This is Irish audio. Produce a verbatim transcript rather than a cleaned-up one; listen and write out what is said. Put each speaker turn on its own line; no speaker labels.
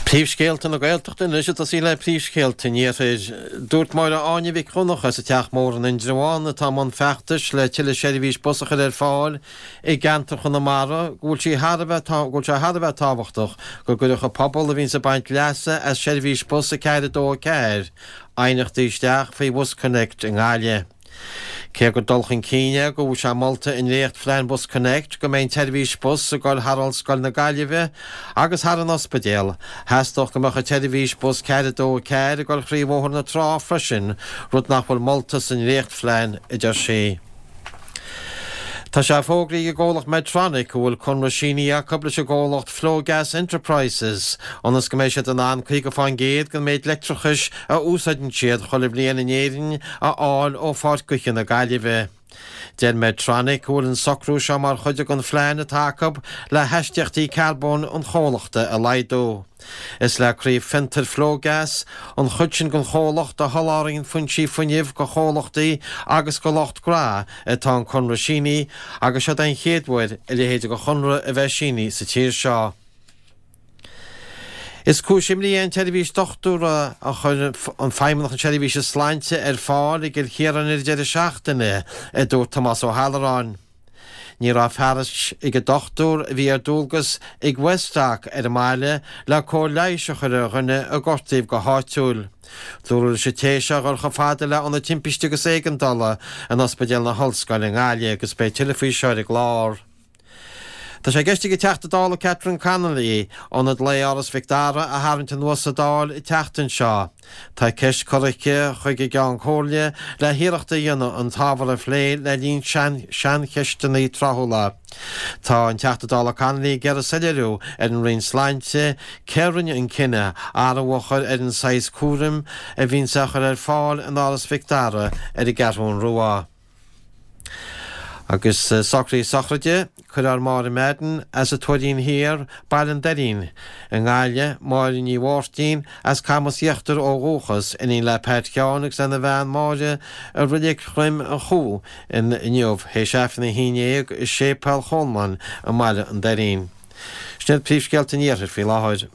Príomhscéalta na Gaeltachta anois ag tosaí le príomhscéalta an Iarthair. Dúirt Máire Áine Mhic Dhonncha as an Teach Mór in Indreabhán atá i mbun feachtais le tuilleadh seirbhís bus a chur ar fáil i gceantar Chonamara go bhfuil sí thar a bheith go bhfuil sé thar a bheith tábhachtach go gcuirfeadh an pobal a bhíonns ag baint leasa as seirbhís bus a ceathair a dó a ceathair aighneachtaí isteach faoi BusConnects i nGaillimh. Cé gur dul chun cinn é go bhfuil sé molta i ndréachtphlean BusConnects go mbeidh an tseirbhís bus ag dul thar Ollscoil na Gaillimhe agus thar an ospidéal, theastódh go mbeadh an tseirbhís bus ceathair a dó a ceathair ag dul thrí Bhóthar na Trá freisin, rud nach bhfuil molta sa ndréachtphlean, a deir sí. Tá sé fógraithe ag an gcomhlacht Medtronic go bhfuil conradh sínithe acu leis an gcomhlacht Flogas Enterprises ionas go mbeidh siad in ann caoga fán gcéad den méid leictreachais a úsáideann siad chuile bhliain in Éirinn a fháil ó Pháirc Gaoithe na Gaillimhe. Deir Medtronic go bhfuil an socrú seo mar chuid den phlean atá acu le haistíochtaí carbóin an chomhlachta a laghdú. Is le craobh fiontair Flogas, an chuid sin den chomhlacht a sholáthraíonn foinsí fuinnimh do chomhlachtaí agus do lucht gnó, atá an conradh sínithe agus seo den chéad uair a leithéid de chonradh a bheith sínithe sa tír seo. Is cúis imní é an tseirbhís dochtúra a chuir an Feidhmeannacht na Seirbhíse Sláinte ar fáil i gCill Chiaráin ar an deireadh seachtaine, a dúirt Tomás Ó hAlluráin. Ní raibh fearas ag an dochtúir a bhí ar dualgas ag Westdoc ar an mbaile le cóir leighis a chur ar dhuine a gortaíodh go háitiúil. Dúradh leis an té seo a dhul chomh fada le Ionad Timpiste agus Éigeandála in Ospidéal na hOllscoile i nGaillimh agus beidh tuilleadh faoi seo ar an gclár. Tá sé i gceist ag an Teachta Dála Catherine Connolly ionad lae Áras Mhic Dara a tharraingt anuas sa Dáil an tseachtain seo. Tá ceist curtha aici chuig an gCeann Comhairle le hiarracht a dhéanamh an t-ábhar a phlé le linn saincheisteanna tráthúla. Tá an Teachta Dála Connolly ag iarraidh soiléiriú ar an Roinn Sláinte cé a rinne an cinneadh athrú a chur ar an saghas cúraim a bhíonns á chur ar fáil in Áras Mhic Dara ar an gCeathrú Rua. Agus socruithe sochraide, cuirfear Máire Madden as an Tuairín Thiar, Baile an Doirín, i nGaillimh, Máire Ní Mháirtín as Camas Íochtar ó dhúchas, iníon le Pat Sheáin agus lena bhean Máire i Reilig Dhroim an Chú inniu, théis Aifreann a haon déag i Séipéal Cholmáin i mBaile an Doirín. Sin iad príomhscéalta an Iarthair faoi láthair.